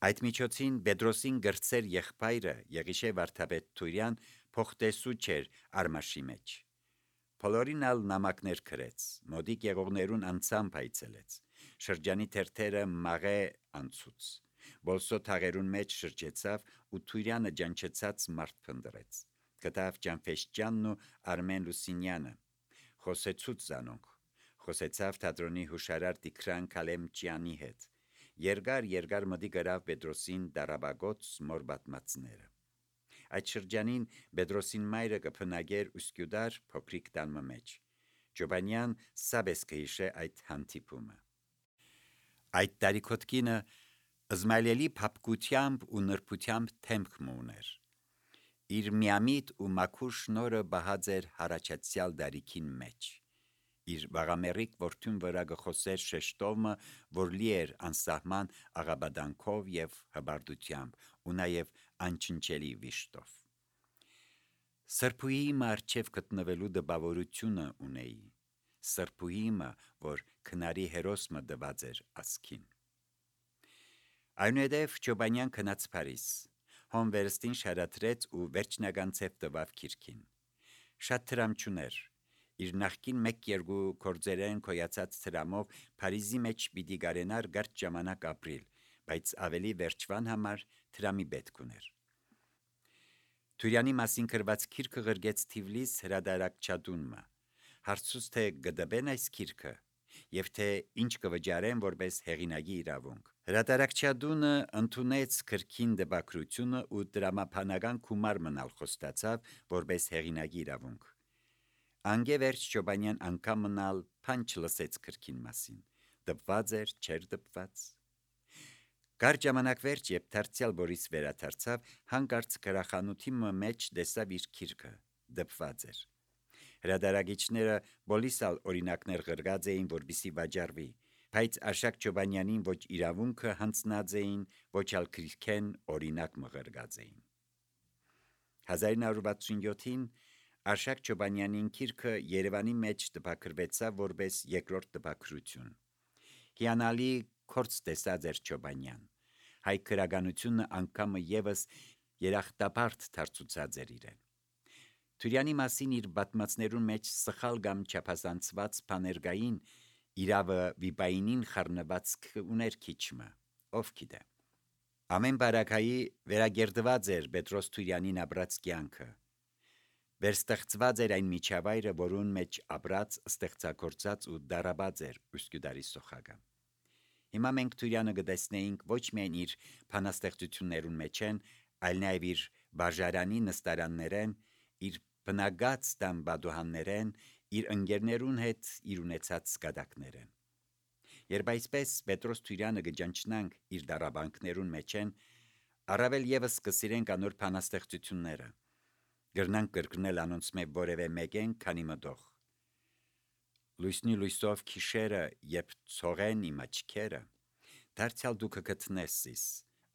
Այդ միջոցին Պետրոսին գրծեր եղբայրը Եղիշե վարդապետ Թուրյան փոխտեսու չէր արմաշի մեջ։ Բոլորին ալ նամակներ գրեց, մոդիկ եղողներուն անցամբ այցելեց, շրջանի թերթերը մաղե անցուց, բոլսո թաղերուն մեջ շրջեցավ ու Թուրյանը ջանչեցած մարդ փնդրեց, կտավ Ջանֆեշյանն ու Արմեն Լուսինյանը, խոսեցուց զանոնք, խոսեցավ թատրոնի հուշարար Տիգրան Քալեմջյանի հետ, երկար մդի գրավ Պետրոսին դարաբագոց մոր բատմածները։ Այդ շրջանին Պետրոսին մայրը կփնագեր ուսկյուդար փոքրիկ տանմը մեջ։ Ջոբանյան սաբես կհիշե այդ հանդիպումը։ Այդ տարիքոտկինը զմայլելի փապկությամբ ու նրբությամբ թեմք ուներ։ Իր միամիտ ու մաքուր շնորը բահած էր հարաճացյալ դարիքին մեջ։ Իր վաղամերիկ որդուն վրա գխոսեր շեշտովը, որ լի էր անսահման աղաբադանքով և հբարդությամբ ու նաև անչնչելի վիշտով։ Սրբուհի մարչև գտնվելու դպավորությունը ունեի, սրբուհիմը, որ քնարի հերոսմը դված էր ասքին։ Այնուհետև Ջոբանյան քնած Փարիզ, հոն վերստին շարադրեց ու վերջնական ցև տվավ քիրքին։ Շատ տրամ չուներ, իր նախկին 1-2 կորձերեն կոյացած տրամով Փարիզի մեջ պիտի գարենար գարջ ժամանակ ապրիլ, բայց ավելի վերջվան համար տրամի պետք ուներ։ Թուրյանի մասին գրված քիրքը գրգեց Թիվլիս հրադարակչադունմը, հարցուց թե գդբեն այս քիրքը, և թե ինչ կվճարեն որպես հեղինակի իրավունք։ Հրադարակչադունը ընդունեց քրքին դպակրությունը ու դրամապանական գումար մնալ խոստացավ որպես հեղինակի իրավունք։ Անգևերջ Ջոբանյան անգամ մնալ փան չլսեց քրքին մասին, դպված էր, չէր դպված։ Գար ժամանակ վերջ, երբ դարձյալ Բորիս վերադարձավ, հանկարծ գրախանութի մեջ տեսավ իր քիրքը, դպված էր։ Հրադարագիչները բոլիսալ օրինակներ գրգած էին, որպեսզի վաճառվի, բայց Աշակ Ջոբանյանին ոչ իրավունքը հանձնած էին, ոչ ալ քրքեն օրինակ մղրգած էին։ 1967-ին Աշակ Ջոբանյանին քիրքը Երևանի մեջ տպագրվեցավ որպես երկրորդ տպագրություն։ Հիանալի կորց տեսած էր Ջոբանյան, հայ քրագանությունը անգամը եւս երախտապարտ դարձուցած էր իրեն։ Թուրյանի մասին իր բատմածներուն մեջ սխալ կամ չափազանցված բաներգային իրավը վիպայինին խառնված ուներ քիչմը, ով գիտե։ Ամեն բարակայի վերագերդված էր Պետրոս Թուրյանին ապրած կյանքը։ Վերստեղծված էր այն միջավայրը, որուն մեջ ապրած, ստեղծագործած ու դարաբած էր ուսկյուդարի սոխագը։ Հիմա մենք Թուրյանը կտեսնեինք ոչ միայն իր բանաստեղծություններուն մեջ են, այլ նաև իր բաժարանի նստարաններեն, իր բնագած տան բադուհաններեն, իր ընկերներուն հետ իր ունեցած սկադակներեն։ Երբ այսպես Պետրոս Թուրյանը կճանչնանք իր դարաբանքներուն մեջ են, առավել եւս կսիրենք անոր բանաստեղծությունները, գրնանք կրկնել անոնց մեջ որևէ մեկեն, քանի մտող։ Լույսնի լույսով քիշերը, երբ ցողեն իմ աչքերը, դարձյալ դու կգտնես իս,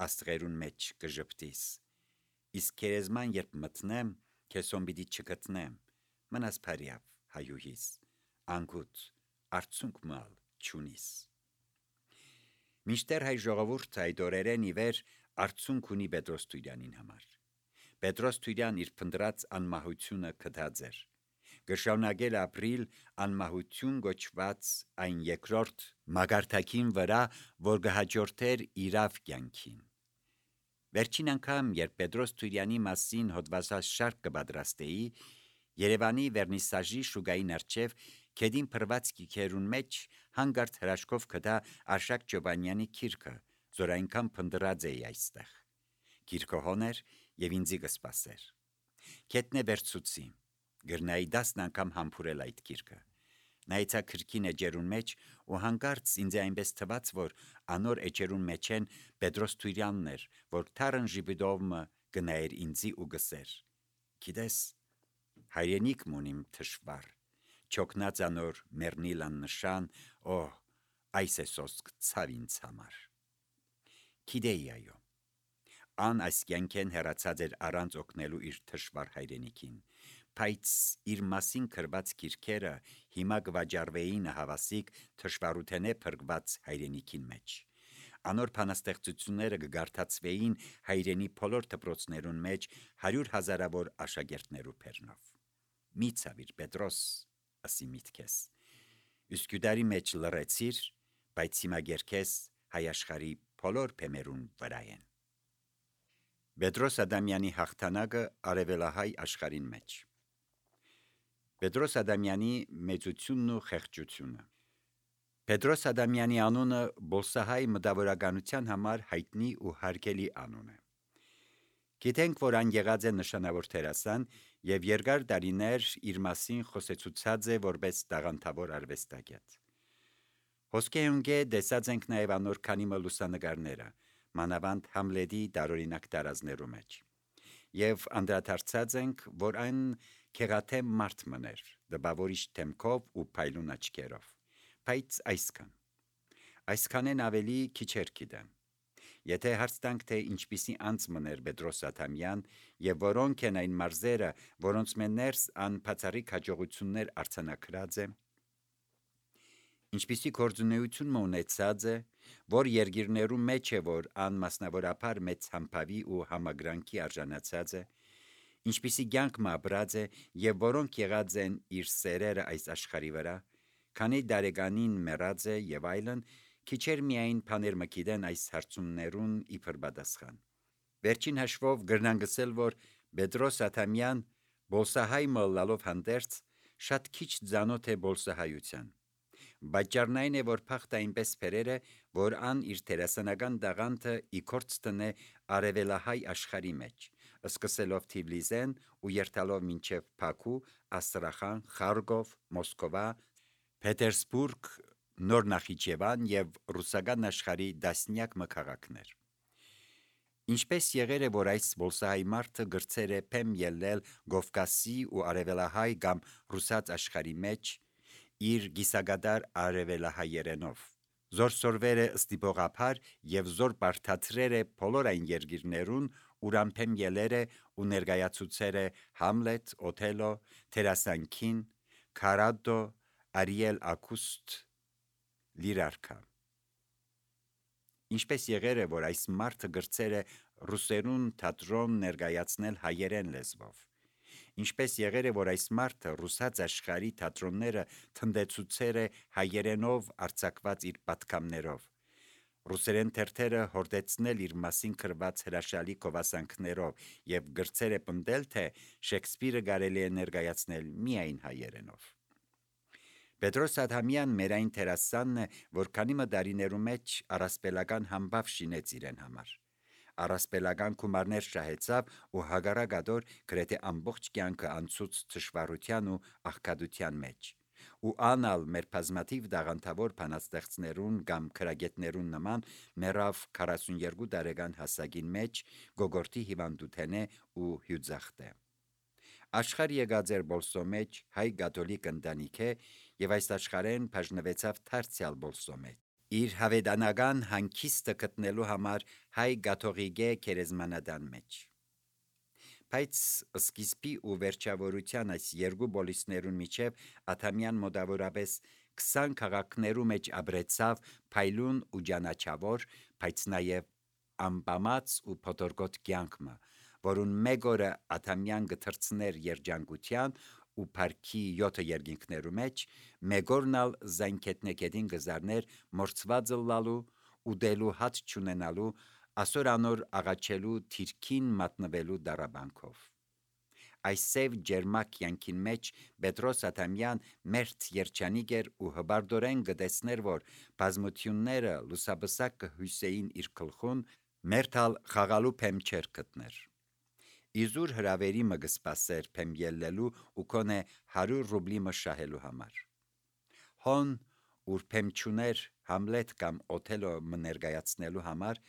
աստղերուն մեջ կժպտիս, իսկ քերեզման երբ մտնեմ, քեսոն պիտի չգտնեմ, մնաս փարիավ, հայուհիս, անգուտ, արցունք մալ չունիս։ Միշտեր հայ ժողովուրդը այդ օրերեն ի վեր արցունք ունի Պետրոս Թուրյանին համար։ Պետրոս Թուրյան իր փնդրած անմահությունը կդած էր, գշարունակել ապրիլ անմահություն գոչված այն երկրորդ մագարտակին վրա, որ կհաջորդեր իրավ կյանքին։ Վերջին անգամ, երբ Պետրոս Թուրյանի մասին հոդվածած շարք կպատրաստեի, Երևանի վերնիսաժի շուկային առջև քեդին փրված կիքերուն մեջ հանգարտ հրաշքով կդա Աշակ Ջոբանյանի քիրքը, որ այնքան փնդրած էի այստեղ։ Քիրքը հոներ եւ ինձի կսպասեր։ Քետնե վերցուցի, գրնայի 10 անգամ համբուրել այդ քիրքը։ Նայեցա քրքին էջերուն մեջ ու հանկարծ ինձ այնպես թվաց, որ անոր էջերուն մեջ են Պետրոս Թուրյանն էր, որ թարն ժիբիդովը գնայր ինձի ու գսեր։ Գիտես, հայրենիք մունիմ թշվար, չոքնած անոր մեռնիլան նշան, այս է սոսկ ցավ ինձ համար։ Գիտեի այո, ան այս կյանքեն հեռացած էր առանց օգնելու իր թշվար հայրենիքին, բայց իր մասին գրված քիրքերը հիմա կվաճառվեին հավասիկ թշվառութենե փրկված հայրենիքին մեջ։ Անոր փանաստեղծությունները կգարթացվեին հայրենի բոլոր դպրոցներուն մեջ 100,000-ավոր աշակերտներու բերնով։ Մի ցավիր Պետրոս, ասի միտքես։ Üsküdarի մեջ լռեցիր, բայց հիմա գերքես հայ աշխարհի բոլոր փեմերուն վրայեն։ Պետրոս Ադամյանի հաղթանակը արևելահայ աշխարհին մեջ։ Պետրոս Ադամյանի մեծությունն ու խեղճությունը։ Պետրոս Ադամյանի անունը բոլսահայ մտավորականության համար հայտնի ու հարգելի անուն է։ Գիտենք, որ ան եղած է նշանավոր դերասան եւ երկար տարիներ իր մասին խոսեցուցած է որպես տաղանդավոր արվեստագետ։ Հոսքեհունգե դեսած ենք նաեւ անոր քանի լուսանկարները, մանավանդ Համլետի տարօրինակ տարազներու մեջ։ Եվ անդրադարձած ենք, որ այն քեղաթեմ մարդ մներ, դպավորիչ թեմքով ու փայլուն աչքերով, բայց այսքանեն ավելի քիչեր գիտեմ։ Եթե հարց տանք, թե ինչպիսի անձ մներ Պետրոս Ադամյան եւ որոնք են այն մարզերը, որոնց մեներս ան բացառիկ հաջողություններ արձանագրած է, ինչպիսի գործունեություն ունեցած է, որ երկիրներու մեջ է, որ ան մասնավորապես մեծ համբավի ու համագրանքի արժանացած է, ինչպիսի կյանք ապրած է եւ որոնք եղած են իր սերերը այս աշխարհի վրա, քանի դարեգանին մեռած է եւ այլն, քիչեր միայն բաներ մը գիտեն այս հարցումներուն իբր պատասխան։ Վերջին հաշվով գրնան գսել, որ Պետրոս Ադամյան բոլսահայ մոլլալով հանդերձ շատ քիչ ծանոթ է բոլսահայության։ Բաճարն այն է, որ փախտ այնպես փերեր է, որ ան իր դերասանական տաղանդը իքորց տնե արևելահայ աշխարհի մեջ, սկսելով Թիֆլիսեն ու երթալով մինչև Բաքու, Աստրախան, Խարգով, Մոսկովա, Պետերսբուրգ, Նոր Նախիջևան եւ ռուսական աշխարհի դասնյակ մքաղաքներ։ Ինչպես եղեր է, որ այս բոլսահայ մարդը գրծեր է փեմ ելնել Կովկասի ու արևելահայ կամ ռուսաց աշխարհի մեջ իր գիսագադար արևելահայերենով, զոր սորվեր է ստիպողափար եւ զոր բարթացրեր է բոլոր այն երկիրներուն, ուրան փեմ ելեր է ու ներկայացուցեր է Համլետ, Օթելո, Թերասանքին, Քարադո, Արիել Ակուստ, Լիրարքա։ Ինչպես եղեր է, որ այս մարդը գրծեր է ռուսերուն թատրոն ներկայացնել հայերեն լեզվով։ Ինչպես եղեր է, որ այս մարդը ռուսաց աշխարհի թատրոնները թնդեցուցեր է հայերենով արձակված իր պատկամներով։ Ռուսերեն թերթերը հորդեցնել իր մասին գրված հրաշալի գովասանքներով եւ գրծեր է պնդել, թե Շեքսպիրը կարելի է ներկայացնել միայն հայերենով։ Պետրոս Ադամյան մեր այն դերասանն է, որ քանի մդարիներու մեջ առասպելական համբավ շինեց իրեն համար։ Առասպելական գումարներ շահեցավ ու հագարակադոր գրեթե ամբողջ կյանքը անցուց թշվառության ու աղքատության մեջ։ Ու անալ մեր բազմաթիվ դաղանդավոր բանաստեղծներուն կամ քրագետներուն նման մեռավ 42 տարեկան հասակին մեջ գոգորտի հիվանդութենե ու հյուծախտե։ Աշխարհ եկած էր բոլսո մեջ հայ կաթոլիկ ընտանիք է եւ այս աշխարհեն բաժնվեցավ դարձյալ բոլսո մեջ։ Իր հավեդանական հանգիստը գտնելու համար հայ կաթողիկե քերեզմանադան մեջ։ Բայց սկիզբի ու վերջավորության այս երկու բոլիսներուն միջև Ադամյան մոտավորապես 20 քաղաքներու մեջ ապրեցավ փայլուն ու ջանաչավոր, բայց նաև ամպամած ու փոթորկոտ կյանքը, որուն մեկ օրը Ադամյան գթրցներ երջանկության ու փառքի 7 երկինքներու մեջ, մեկ օրնալ զայնքետնեկետին գզարներ մորցվածը լալու ու դելու հաց չունենալու, ասոր անոր աղաչելու թիրքին մատնվելու դարաբանքով։ Այս սև ջերմակ կյանքին մեջ Պետրոս Ադամյան մերթ երջանիկ էր ու հբարդորեն գտեցներ, որ բազմությունները լուսաբսակ կհյուսեին իր գլխուն, մերթալ խաղալու փեմ չեր գտներ։ Իզուր հրավերի մը կսպասեր փեմ ելլելու ու կոնե 100 ռուբլի մը շահելու համար։ Հոն ուր փեմ չուներ Համլետ կամ Օթելո մը ներկայացնելու համար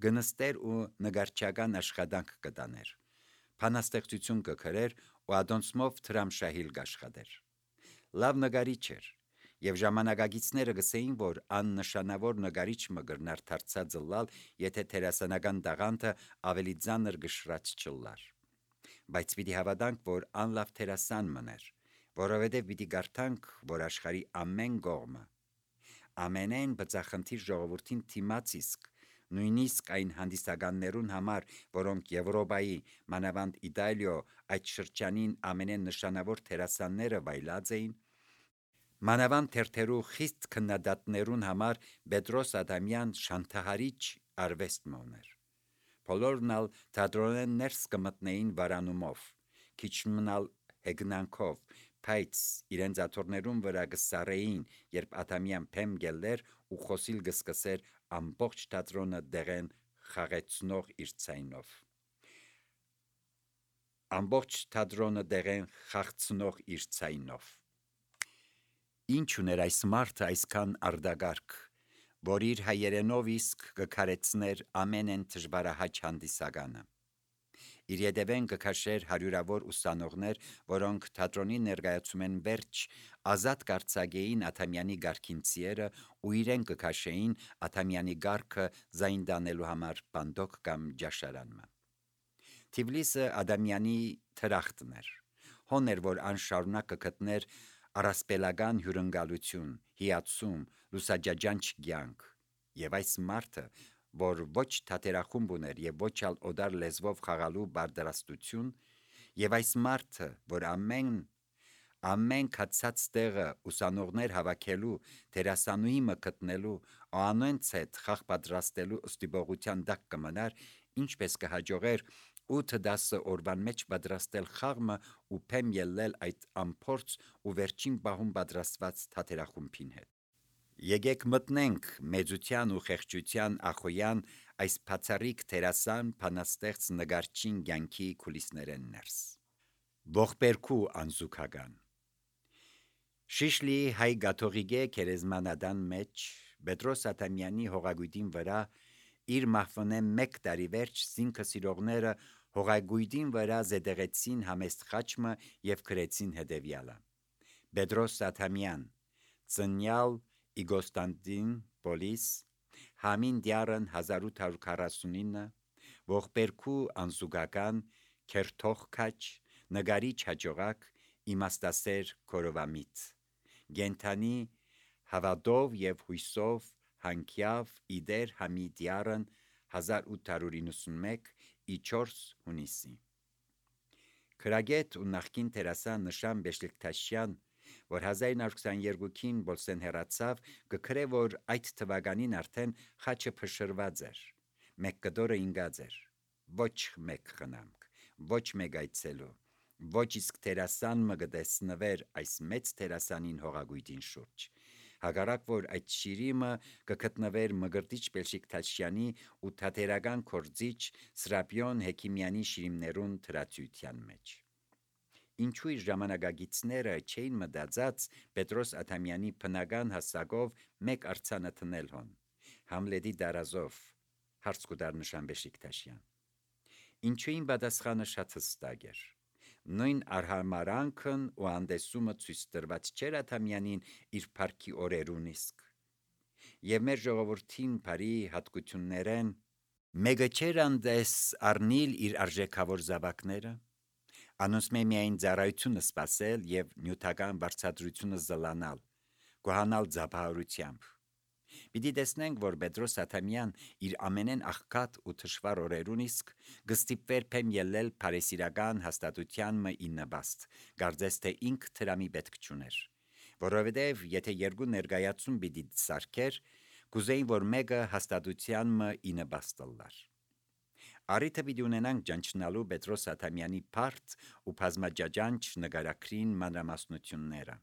գնստեր ու նգարչական աշխատանք կտաներ։ Բանաստեղծություն կգրեր ու ադոնցմով թրամշահիլ կաշխատեր։ Լավ նկարիչ էր, եւ ժամանակագիցները գսեին, որ աննշանավոր նկարիչ մը գրնար դարձած լալ, եթե դերասանական տաղանդը ավելի ծանր գշրած չլար։ Բայց պիտի հավատանք, որ անլավ դերասան մներ, որովհետև պիտի գարտանք, որ աշխարհի ամեն կողմը, ամենայն բծախնդիր ժողովրդին թիմաց իսկ նույնիսկ այն հանդիսականներուն համար, որոնք Եվրոպայի, մանավանդ Իտալիո այդ շրջանին ամենանշանավոր դերասանները վայելած էին, մանավանդ թերթերու խիստ քննադատներուն համար Պետրոս Ադամյան շանթահարիչ արվեստ մոներ։ Բոլորն ալ թատրոնեն ներս կմտնեին վարանումով, քիչ մնալ հեգնանքով, բայց իրենց աթոռներուն վրա կսարեին, երբ Ադամյան փեմ գելներ ու խոսիլ կսկսեր ամբողջ թատրոնը դեղեն խաղեցնող իր ցայնով։ Ամբողջ թատրոնը դեղեն խաղցնող իր ցայնով։ Ինչ ուներ այս մարդը այսքան արդագարգ, որ իր հայերենով իսկ կքարեցներ ամենեն դժվարահաչ հանդիսականը։ Իր ետևեն կքաշեր հարյուրավոր ուսանողներ, որոնք թատրոնի ներկայացումեն վերջ ազատ կարձագեին Ադամյանի գարքին ցիերը ու իրեն կքաշեին Ադամյանի գարքը զայն դանելու համար բանդոկ կամ ջաշարանմը։ Թիֆլիսը Ադամյանի թրախտն էր, հոներ, որ անշարունակ կգտներ առասպելական հյուրընկալություն, հիացում, լուսաջաջանչ կյանք, եւ այս մարդը, որ ոչ թատերախումբ ուներ եւ ոչ ալ օդար լեզվով խաղալու բարդարաստություն, եւ այս մարդը, որ ամեն կացած տեղը ուսանողներ հավաքելու, դերասանուհի մկտնելու, անոնց հետ խաղ պատրաստելու ստիպողության տակ կմնար, ինչպես կհաջողեր 8-10 օրվան մեջ պատրաստել խաղը ու փեմ ելնել այդ ամփորձ ու վերջին պահում պատրաստված թատերախումբին հետ։ Եկեք մտնենք մեծության ու խեղճության ախոյան այս բացառիկ դերասան բանաստեղծ նկարչին կյանքի կուլիսներեն ներս։ Ողբերգու անզուգական Շիշլի հայ գաթողիկե քերեզմանադան մեջ Պետրոս Ադամյանի հողագույտին վրա իր մահվնե 1 տարի վերջ զինքը սիրողները հողագույտին վրա զետեղեցին համեստ խաչմը եւ գրեցին հետեւյալը. Պետրոս Ադամյան, ծնյալ Իգոստանդին Պոլիս, Համին դյարն 1849, ողբերգու անզուգական, քերթող քաչ, նկարիչ հաջողակ, իմաստասեր կորովամիտ, գենթանի հավատով եւ հույսով հանքյավ իդեր համի դյարն 1891 4 հունիսի։ Քրագետ ու նախկին դերասան Նշան Բեշլիկտաշյան, որ 1922-ին Բոլսեն հեռացավ, կգրե, որ այդ թվականին արդեն խաչը փշրված էր, մեկ կտորը ինգած էր, ոչ մեկ խնամք, ոչ մեկ այցելու, ոչ իսկ դերասան մը կտեսնվեր այս մեծ դերասանին հողագույտին շուրջ, հակառակ որ այդ շիրիմը կգտնվեր Մկրտիչ Բեշլիկտաշյանի ու թատերական գործիչ Սրապիոն Հեքիմյանի շիրիմներուն թրացության մեջ։ Ինչու իր ժամանակագիցները չէին մտածած Պետրոս Ադամյանի բնական հասակով մեկ արձանը տնել հոն, Համլետի դարազով, հարց կուտար Նշան Բեշլիկտաշյան։ Ինչուին պատասխանը շատ հստակ էր։ Նույն արհամարանքն ու անդեսումը ցույց տրված չէր Ադամյանին իր փառքի օրերուն իսկ։ Եվ մեր ժողովրդին բարի հատկություններեն մեկը չէր անդես առնիլ իր արժեքավոր զավակները, անոնց միայն ծառայությունը սпасել եւ նյութական բարձրությունը զլանալ, գոհանալ զապահարությամբ։ Պիտի տեսնենք, որ Պետրոս Ադամյան իր ամենեն աղքատ ու թշվառ օրերուն իսկ գստիպվեր փեմ ելնել փարեսիրական հաստատության մը իննաբաստ, կարծես թե ինք դրամի պետք չուներ, որովհետև եթե երկու ներկայացում պիտի սարքեր, կուզեին, որ մեկը հաստատության մը իննաբաստ լար։ Արիթը պիտի ունենանք ճանչնալու Պետրոս Ադամյանի բարդ ու բազմաջաջանչ նկարագրին մանրամասնությունները։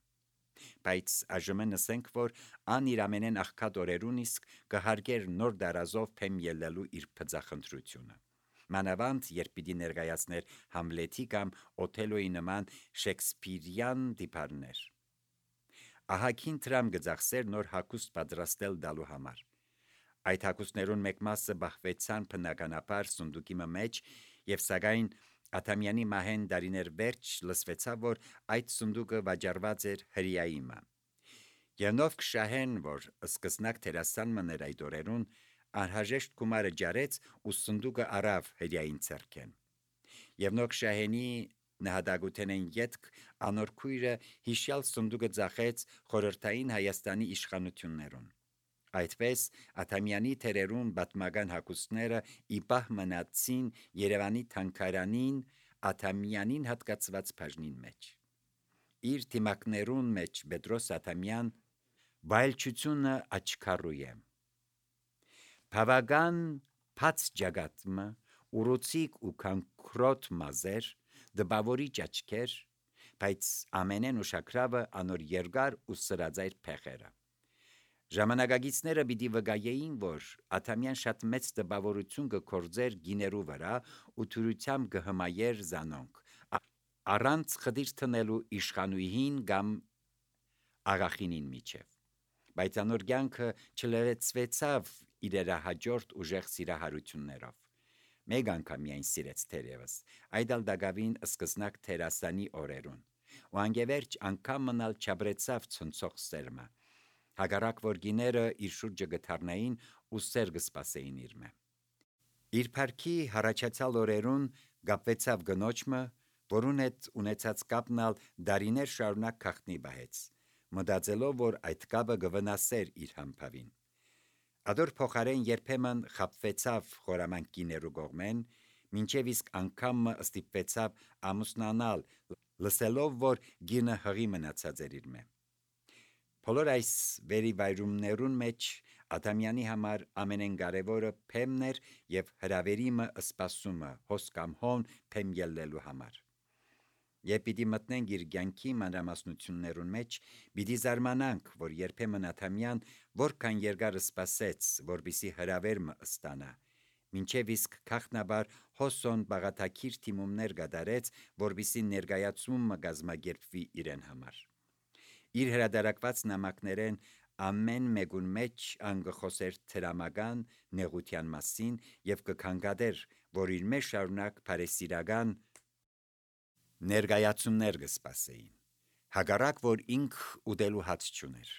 Բայց այժմ ասենք, որ ան իր ամենեն աղքատ օրերուն իսկ կհարգեր նոր դարազով փեմ ելնելու իր փծախնդրությունը։ Մանավանդ երբ պիտի ներկայացներ Համլետի կամ Օթելոյի նման շեքսպիրյան դիպարներ։ Ահագին դրամ գծախսեր նոր հագուստ պատրաստել դալու համար։ Այդ հագուստներուն մեկ մասը բախվեցան բնականաբար սունդուկի մեջ եւ սակայն Ադամյանի մահեն դարիներ վերջ լսվեցավ, որ այդ սունդուկը վաճառված էր հրիայիմը։ Յանով կշահեն, որ սկզնակ դերասան մներ այդ օրերուն անհրաժեշտ գումարը ջարեց ու սունդուկը առավ հրիային ցերքեն։ Եվ նոք շահենի նահատակութենեն յետք անոր քույրը հիշյալ սունդուկը ծախեց խորհրդային Հայաստանի իշխանություններուն։ Այդպես Աթամյանի թերերուն պատմական հագուստները իբահ մնացին Երևանի թանգարանին Աթամյանին հատկացված բաժնին մեջ։ Իր թիմակներուն մեջ Պետրոս Աթամյան վայելչությունը աչքարու է։ Բավական բաց ջագատմը, ուռուցիկ ու քանքրոտ մազեր, դպավորիչ աչքեր, բայց ամենեն ուշագրավը անոր երկար ու սրածայր փեղերը։ Ժամանակագիցները պիտի վկայեին, որ Աթամյան շատ մեծ տպավորություն կգործեր գիներու վրա ու թյուրությամբ կհմայեր զանոնք, առանց խդիր տնելու իշխանուհին կամ աղախինին միջև։ Բայց անոր կյանքը չլրացվեցավ իրերա հաջորդ ուժեղ սիրահարություններով։ Մեկ անգամ միայն սիրեց թերևս, այդ ալ դակավին սկզնակ թերասանի օրերուն, ու անգևերջ անգամ մնալ չաբրեցավ ցնցող սերմը, հագարակ որ գիները իր շուրջը գթարնային ու սեր կսպասեին իրմե։ Իր փառքի հառաջացյալ օրերուն կապվեցավ գնոջմը, որուն հետ ունեցած կապնալ դարիներ շարունակ քաղտնի բահեց, մտածելով, որ այդ կապը կվնասեր իր համբավին։ Ադոր փոխարեն երբեմն խապվեցավ խորամանկ գիներու կողմեն, մինչև իսկ անգամը ստիպվեցավ ամուսնանալ, լսելով, որ գինը հղի մնացած էր իրմե։ Բոլոր այս վերիվայրումներուն մեջ Աթամյանի համար ամենեն կարևորը փեմն էր եւ հրավերիմը սպասումը հոս կամ հոն փեմ ելնելու համար։ Երբ պիտի մտնենք իր կյանքի մանրամասնություններուն մեջ, պիտի զարմանանք, որ երբեմն Աթամյան որքան երկար սպասեց, որպիսի հրավերմը ստանա, մինչև իսկ քաղտնաբար հոսոն բաղաթակիր թիմումներ կատարեց, որպիսի ներկայացումը կազմակերպվի իրեն համար։ Իր հրադարակված նամակներեն ամեն մեկուն մեջ անգխոսեր թրամական նեղության մասին եւ կքննադեր, որ իր մեջ շարունակ բարեսիրական ներկայացումներ կսպասեին, հակառակ որ ինք ուտելու հաց չուներ։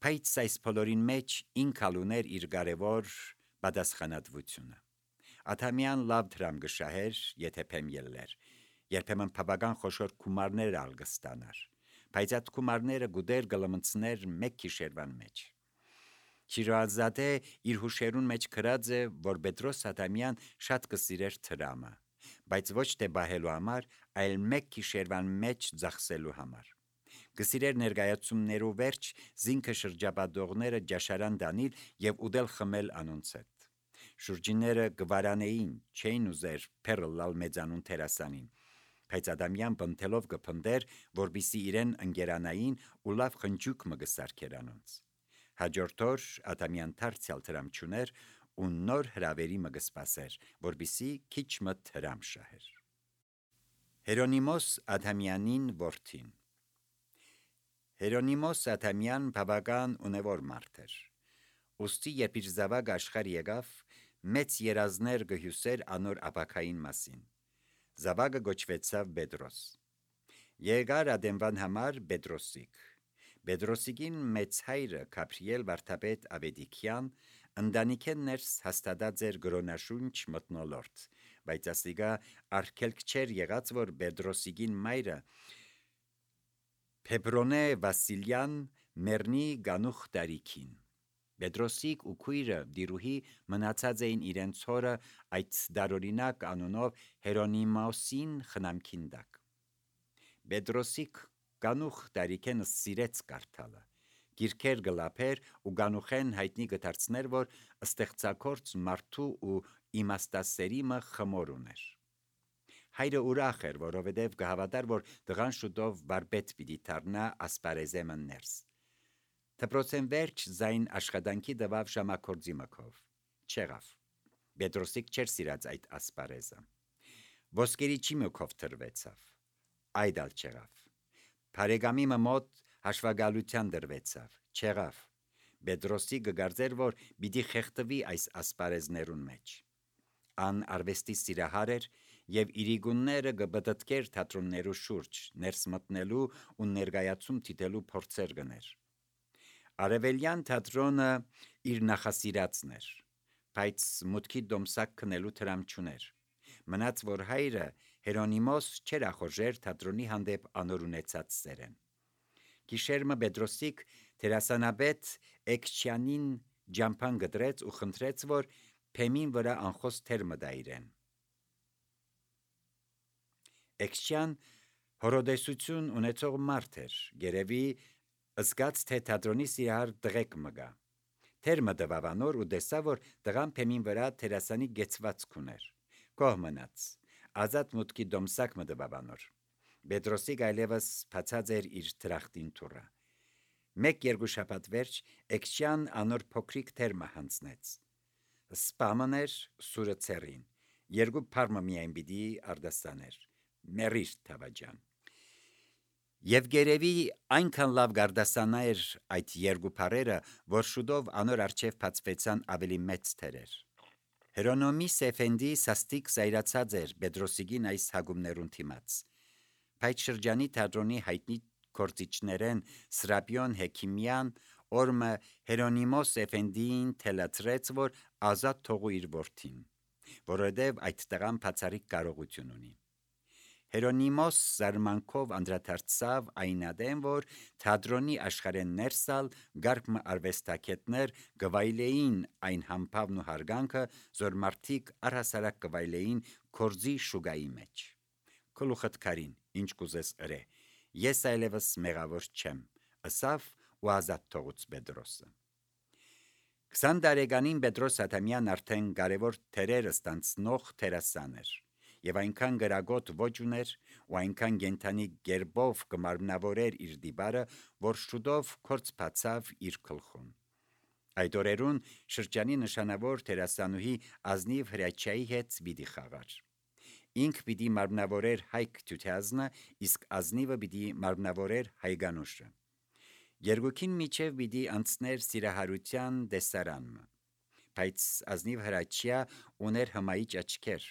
Բայց այս բոլորին մեջ ինքալ ուներ իր կարևոր պատասխանատվությունը։ Աթամյան լավ դրամ կշահեր, եթե փեմ ելներ, երբեմն բավական խոշոր գումարներ ալ կստանար, բայց այդ գումարները գուտեր կլմցներ մեկ գիշերվան մեջ։ Շիրվանզադե իր հուշերուն մեջ գրած է, որ Պետրոս Աթամյան շատ կսիրեր դրամը, բայց ոչ թե բահելու համար, այլ մեկ գիշերվան մեջ ծախսելու համար։ Կսիրեր ներկայացումներու վերջ զինքը շրջապատողները ջաշարան դանել եւ ուտել խմել անոնց հետ։ Շուրջինները գվարանեին, չէին ուզեր փերլալ մեծանուն թերասանին, բայց Ադամյան բնթելով կփնդեր, որպիսի իրեն ընկերանային ու լավ խնջուկ մը կսարքեր անոնց։ Հաջորդ օր Ադամյան դարձյալ դրամ չուներ ու նոր հրավերի մը կսպասեր, որպիսի քիչ մը դրամ շահեր։ Հերոնիմոս Աթամյանին որդին։ Հերոնիմոս Աթամյան բավական ունևոր մարդ էր։ Ուստի երբ իր զավակ աշխարհ եկավ, մեծ երազներ գհյուսեր անոր ապակային մասին։ Զավակը գոչվեցավ Պետրոս։ Եկար Ադեմվան համար Պետրոսիկ։ Պետրոսիկին մեծ հայրը Գաբրիել վարդապետ Ավետիքյան ընտանիքեն ներս հաստատած էր գրոնաշունչ մթնոլորտ, բայց ասիկա արգելք չէր եղած, որ Պետրոսիկին մայրը Փեբրոնե Վասիլյան մեռնի գանուխ տարիքին։ Պետրոսիկ ու քույրը դիրուհի մնացած էին իրենց հորը այդ դարօրինակ անունով Հերոնիմոսին խնամքին տակ։ Պետրոսիկ գանուխ տարիքեն սիրեց կարդալը, գիրքեր գլափեր ու գանուխեն հայտնի գդարձներ, որ ստեղծագործ մարդու ու իմաստասերիմը խմոր ուներ։ Հայրը ուրախ էր, որովհետև կհավատար, որ տղան շուտով վարպետ պիտի դառնա ասպարեզեմը ներս։ Դպրոցեն վերջ զայն աշխատանքի տվավ ժամակորձի մքով։ Չեղավ։ Պետրոսիկ չէր սիրած այդ ասպարեզը։ Ոսկերիչի մքով թրվեցավ։ Այդ ալ չեղավ։ Բարեկամի մոտ հաշվագալության դրվեցավ։ Չեղավ։ Պետրոսիկը գարձեր, որ պիտի խեղդվի այս ասպարեզներուն մեջ։ Ան արվեստի սիրահար էր եւ իրիգունները կբտտկեր թատրոններու շուրջ, ներս մտնելու ու ներկայացում դիտելու փորձեր գներ։ Արևելյան թատրոնը իր նախասիրածն էր, բայց մուտքի դոմսակ քնելու տրամ չուներ։ Մնաց, որ հայրը Հերոնիմոս չէր ախորժեր թատրոնի հանդեպ անոր ունեցած սերեն։ Գիշերմը Պետրոսիկ Տերասանաբեդ Էքչյանին ջամփան գդրեց ու խնդրեց, որ փեմին վրա անխոս թեր մտա իրեն։ Էքչյան հորոդեսություն ունեցող մարդ էր, երևի զգաց, թե թատրոնի սիրահար տղեկ մգա։ Թեր մտվավանոր ու տեսա, որ տղան փեմին վրա տերասանի գեցվածք ուներ։ Կող մնաց, ազատ մուտքի դոմսակ մտվավանոր։ Պետրոսի գայլևս փացած էր իր դրախտին թուրը։ Մեկ-երկու շաբաթ վերջ Էքչյան անոր փոքրիկ թերմը հանձնեց։ Սպաման էր սուրը ցերին, երկու փարմը միայն պիտի արդաստաներ, մերիր թավաջան։ Եվ գերևի այնքան լավ գարդասանա էր այդ երկու փարերը, որ շուտով անոր արջև բացվեցան ավելի մեծ թերեր։ Հերոնոմիս Էֆենդի սաստիկ զայրացած էր Պետրոսիգին այս հագումներուն թիմաց։ Այդ շրջանի թատրոնի հայտնի գործիչներեն Սրապիոն Հեքիմյան օրմը Հերոնիմոս Էֆենդին թելացրեց, որ ազատ թողու իր որդին, որովհետև այդ տղան բացառիկ կարողություն ունի։ Հերոնիմոս զարմանքով անդրադարձավ այնադեմ, որ թատրոնի աշխարհեն ներսալ գարկմը արվեստագետներ գվայլեին այն համբավն ու հարգանքը, որ մարդիկ առհասարակ գվայլեին կորձի շուգայի մեջ։ Քլուխդ կարին, ինչ կուզես ըրե, ես այլևս մեղավոր չեմ, ըսավ ու ազատ թողուց Պետրոսը։ 20 տարեկանին Պետրոս Ադամյան արդեն կարևոր թերեր ստանցնող տերասան էր, եւ այնքան գրագոտ ոչ ուներ ու այնքան գենթանի գերբով կմարմնավորեր իր դիբարը, որ շուտով կորց բացավ իր գլխուն։ Այդ օրերուն շրջանի նշանավոր տերասանուհի Ազնիվ Հրաչյայի հետ պիտի խաղար։ Ինք պիտի մարմնավորեր Հայկ Թությանը, իսկ Ազնիվը պիտի մարմնավորեր Հայգանուշը։ Երկուքին միջև պիտի անցներ սիրահարության դեսարանը, բայց Ազնիվ Հրաչյա ուներ հմայիչ աչքեր։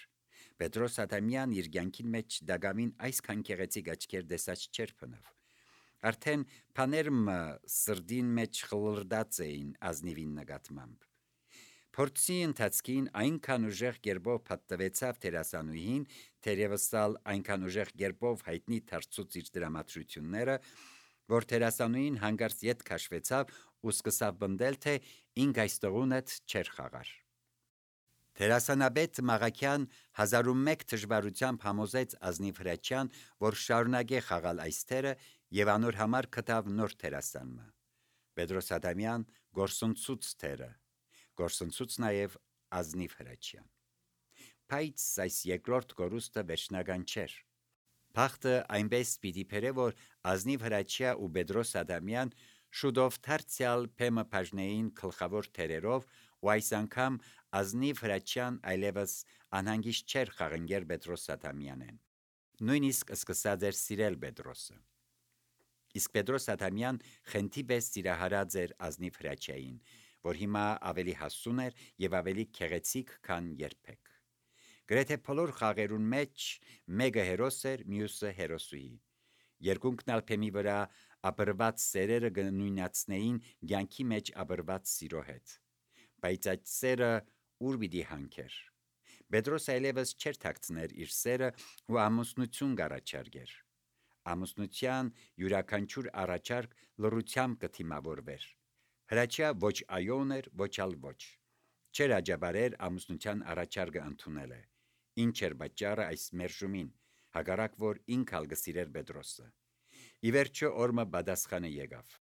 Պետրոս Ադամյան իր կյանքին մեջ դագամին այսքան գեղեցիկ աչքեր տեսած չէր փնավ։ Արդեն փաներմը սրդին մեջ խլրդած էին Ազնիվին նկատմամբ։ Փորձի ընթացքին այնքան ուժեղ գերբով պատտվեցավ տերասանուհին, թերևսալ այնքան ուժեղ գերբով հայտնի դարձուց իր դրամատրությունները, որ տերասանուհին հանգարց ետ քաշվեցավ ու սկսավ բնդել, թե ինք այստեղունդ չեր խաղար։ Տերասանաբեդ Մաղաքյան 1001 դժվարությամբ համոզեց Ազնիվ Հրաչյան, որ շարունակե խաղալ այս թերը եւ անոր համար գտավ նոր տերասանմը։ Պետրոս Ադամյան գործընծուց թերը, գործընծուց նաեւ Ազնիվ Հրաչյան։ Բայց այս երկրորդ գորուստը վերջնական չէր։ Փախտը այնպես պիտի բերե, որ Ազնիվ Հրաչյա ու Պետրոս Ադամյան շուտով դարձյալ փեմը բաժնեին գլխավոր թերերով, ու այս անգամ Ազնիվ Հրաչյան այլևս անհանգիստ չէր խաղընկեր Պետրոս Ադամյանեն։ Նույնիսկ սկսած էր սիրել Պետրոսը։ Իսկ Պետրոս Ադամյան խենթի պես սիրահարած էր Ազնիվ Հրաչյային, որ հիմա ավելի հասուն էր եւ ավելի գեղեցիկ, քան երբեք։ Գրեթե բոլոր խաղերուն մեջ մեկը հերոս էր, մյուսը հերոսուհի։ Երկունքն ալ փեմի վրա ապրված սերերը կնույնացնեին կյանքի մեջ ապրված սիրո հետ։ Բայց այդ սերը ուր պիտի հանքեր։ Պետրոս այլևս չէր թաքցներ իր սերը ու ամուսնություն կառաջարկեր։ Ամուսնության յուրաքանչյուր առաջարկ լռությամբ կթիմավորվեր։ Հրաչյա ոչ այո ուներ, ոչ ալ ոչ։ Չէր աջաբարեր ամուսնության առաջարկը ընդունելը։ Ինչ էր պատճառը այս մերժումին, հակառակ որ ինք ալ գսիրեր Պետրոսը։ Ի վերջո օրը պատասխանը եկավ։